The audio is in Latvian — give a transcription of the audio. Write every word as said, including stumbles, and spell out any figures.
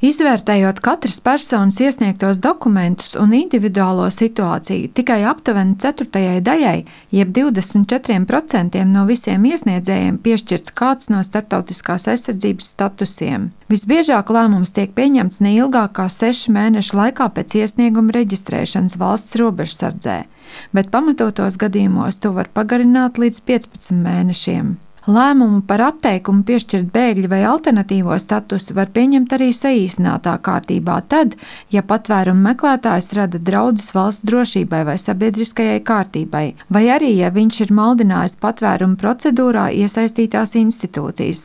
Izvērtējot katras personas iesniegtos dokumentus un individuālo situāciju, tikai aptuveni ceturtajai daļai, jeb divdesmit četriem procentiem no visiem iesniedzējiem piešķirts kāds no starptautiskās aizsardzības statusiem. Visbiežāk lēmums tiek pieņemts neilgāk kā sešu mēnešu laikā pēc iesnieguma reģistrēšanas valsts robežsardzē, bet pamatotos gadījumos to var pagarināt līdz piecpadsmit mēnešiem. Lēmumu par atteikumu piešķirt bēgļu vai alternatīvo statusu var pieņemt arī saīsinātā kārtībā tad, ja patvērumu meklētājs rada draudus valsts drošībai vai sabiedriskajai kārtībai, vai arī, ja viņš ir maldinājis patvērumu procedūrā iesaistītās institūcijas,